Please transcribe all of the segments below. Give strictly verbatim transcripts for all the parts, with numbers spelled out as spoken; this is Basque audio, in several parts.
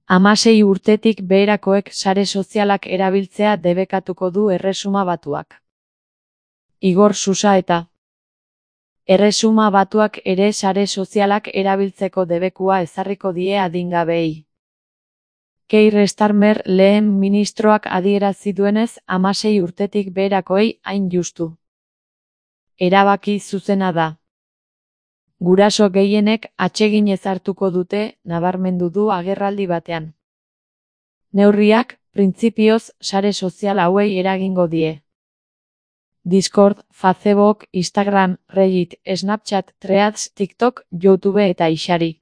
Hamasei urtetik beherakoek sare sozialak erabiltzea debekatuko du Erresuma Batuak. Igor Susaeta. Erresuma Batuak ere sare sozialak erabiltzeko debekua ezarriko die adingabeei. Keir Starmer lehen ministroak adierazi duenez, hamasei urtetik beherakoei hain justu. Erabaki zuzena da. Guraso gehienek atseginez hartuko dute, nabarmendu du agerraldi batean. Neurriak, printzipioz, sare sozial hauei eragingo die. Discord, Facebook, Instagram, Reddit, Snapchat, Threads, TikTok, YouTube eta Ixari.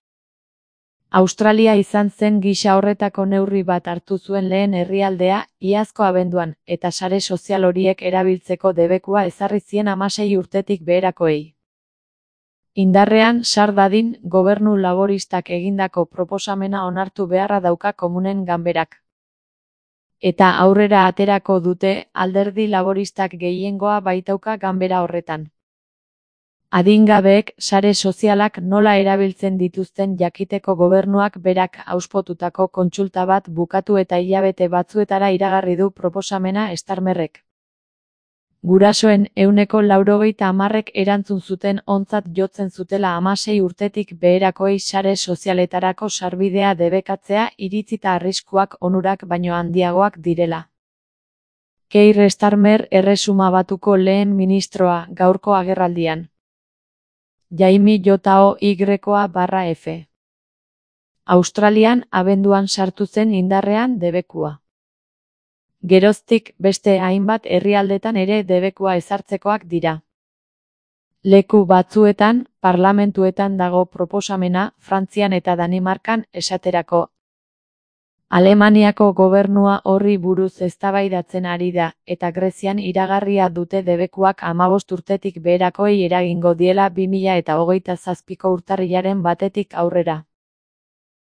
Australia izan zen gisa horretako neurri bat hartu zuen lehen herrialdea, iazko abenduan, eta sare sozial horiek erabiltzeko debekua ezarri zien hamasei urtetik beherakoei. Indarrean sar dadin, gobernu laboristak egindako proposamena onartu beharra dauka komunen ganberak. Eta aurrera aterako dute, alderdi laboristak gehiengoa baitauka ganbera horretan. Adingabeek sare sozialak nola erabiltzen dituzten jakiteko gobernuak berak auspotutako kontsulta bat bukatu eta hilabete batzuetara iragarri du proposamena Starmerrek. Gurasoen ehuneko laurogeita hamarrek erantzun zuten ontzat jotzen zutela hamasei urtetik beherakoei sare sozialetarako sarbidea debekatzea iritzita arriskuak onurak baino handiagoak direla. Keir Starmer Erresuma Batuko lehen ministroa gaurko agerraldian. Jaime Jotao Y barra F. Australian abenduan sartu zen indarrean debekua. Geroztik beste hainbat herrialdetan ere debekua ezartzekoak dira. Leku batzuetan, parlamentuetan dago proposamena, Frantzian eta Danimarkan esaterako. Alemaniako gobernua horri buruz eztabaidatzen ari da, eta Grezian iragarria dute debekuak hamabost urtetik beherakoei eragingo diela bi mila eta hogeita zazpiko urtarrilaren batetik aurrera.